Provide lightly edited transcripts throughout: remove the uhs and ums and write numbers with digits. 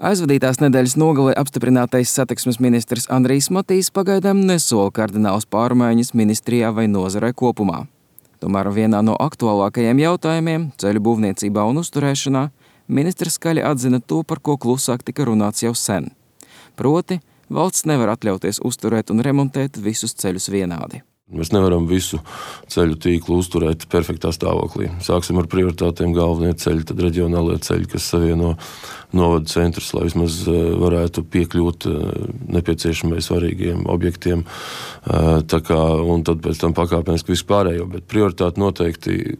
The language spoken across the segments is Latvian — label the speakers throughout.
Speaker 1: Aizvadītās nedēļas nogalē apstiprinātais satiksmes ministrs Andrijs Matīs pagaidām nesola kardinālas pārmaiņas ministrijā vai nozarē kopumā. Tomēr vienā no aktuālākajiem jautājumiem ceļu būvniecībā un uzturēšanā ministrs skaļi atzina to, par ko klusāk tika runāts jau sen. Proti, valsts nevar atļauties uzturēt un remontēt visus ceļus vienādi.
Speaker 2: Mēs nevaram visu ceļu tīklu uzturēt perfektā stāvoklī. Sāksim ar prioritātēm galvenie ceļi, tad reģionālie ceļi, kas savieno novadu centrus, lai vismaz varētu piekļūt nepieciešamai svarīgiem objektiem. Un tad pēc tam pakāpeniski vispārējo, bet prioritāte noteikti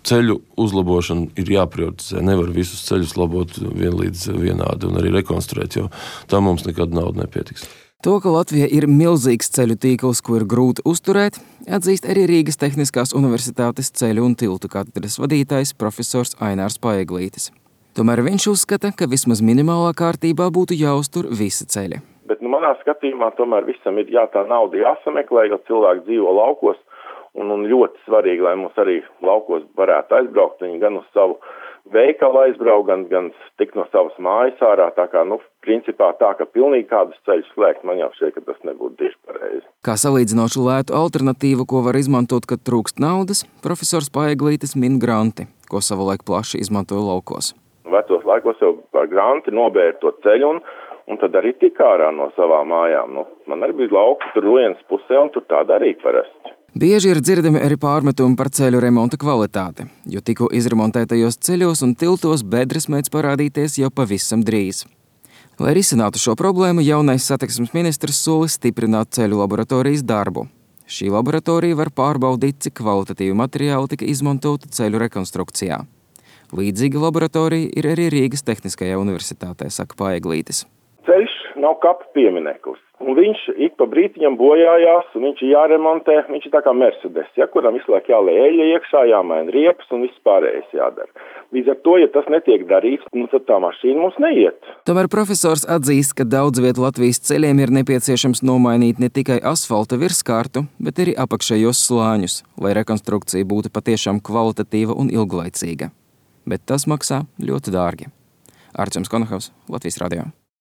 Speaker 2: ceļu uzlabošana ir jāprioritizē. Nevar visus ceļus labot vienlīdz vienādi un arī rekonstruēt, jo tam mums nekad nauda nepietiks.
Speaker 1: To, ka Latvija ir milzīgs ceļu tīkls, ko ir grūti uzturēt, atzīst arī Rīgas Tehniskās universitātes ceļu un tiltu katedras vadītājs profesors Ainārs Paeglītis. Tomēr viņš uzskata, ka vismaz minimālā kārtībā būtu jāuztur visi ceļi.
Speaker 3: Bet manā skatījumā tomēr visam ir tā nauda jāsameklē, jo cilvēki dzīvo laukos, un ļoti svarīgi, lai mums arī laukos varētu aizbraukt, viņi gan uz savu veikalu aizbraukt, gan tik no savas mājas ārā, principā ka pilnīgi kādus ceļus slēgt, man jau šķiet, ka tas nebūtu tieši pareizi.
Speaker 1: Kā salīdzinošu lētu alternatīvu, ko var izmantot, kad trūkst naudas, profesors Paeglītis min granti, ko savulaik plaši izmantoja laukos.
Speaker 3: Vecos laikos jau par granti nobēra to ceļu un tad arī tika ārā no savām mājām. Man arī bija lauki tur Lienas pusē un tur tā darīja parasti.
Speaker 1: Bieži ir dzirdami arī pārmetumi par ceļu remonta kvalitāti, jo tikko izremontētajos ceļos un tiltos bedres mēdz parādīties jau pavisam drīz. Lai risinātu šo problēmu, jaunais satiksmes ministrs sola stiprināt ceļu laboratorijas darbu. Šī laboratorija var pārbaudīt, cik kvalitatīvi materiāli tika izmantoti ceļu rekonstrukcijā. Līdzīga laboratorija ir arī Rīgas Tehniskajā universitātē, saka Paeglītis.
Speaker 3: Ceļš nav kapa piemineklis, un viņš ik pa brītiņam bojājās, un viņš ir jāremontē, viņš ir tā kā Mercedes, kuram visu laiku jāliek eļļa iekšā, jāmaina riepas un viss pārējais jādara. Līdz ar to, ja tas netiek darīts, tad tā mašīna mums neiet.
Speaker 1: Tomēr profesors atzīst, ka daudz vietu Latvijas ceļiem ir nepieciešams nomainīt ne tikai asfalta virskārtu, bet arī apakšējos slāņus, lai rekonstrukcija būtu patiešām kvalitatīva un ilglaicīga. Bet tas maksā ļoti dārgi. Arčuns Konohavs, Latvijas radio.